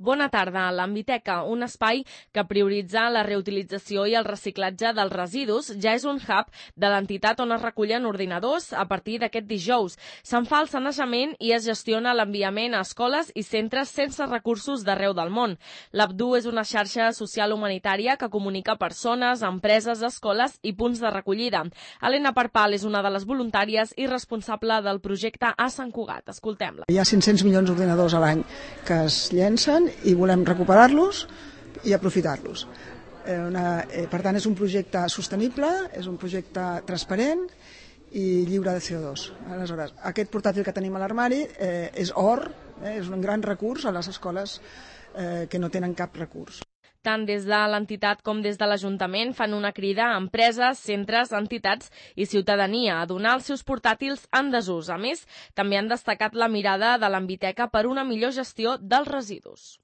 Bona tarda. L'Ambiteca, un espai que prioritza la reutilització i el reciclatge dels residus, ja és un hub de l'entitat on es recullen ordinadors a partir d'aquest dijous. Se'n fa el sanejament i es gestiona l'enviament a escoles i centres sense recursos d'arreu del món. L'Abdu és una xarxa social humanitària que comunica persones, empreses, escoles i punts de recollida. Helena Parpal és una de les voluntàries i responsable del projecte a Sant Cugat. Escoltem-la. Hi ha 500 milions d'ordinadors a l'any que es llencen i volem recuperar-los i aprofitar-los. Per tant, és un projecte sostenible, és un projecte transparent i lliure de CO2. Aleshores, aquest portàtil que tenim a l'armari és or, és un gran recurs a les escoles que no tenen cap recurs. Tant des de l'entitat com des de l'Ajuntament fan una crida a empreses, centres, entitats i ciutadania a donar els seus portàtils en desús. A més, també han destacat la mirada de l'Ambiteca per una millor gestió dels residus.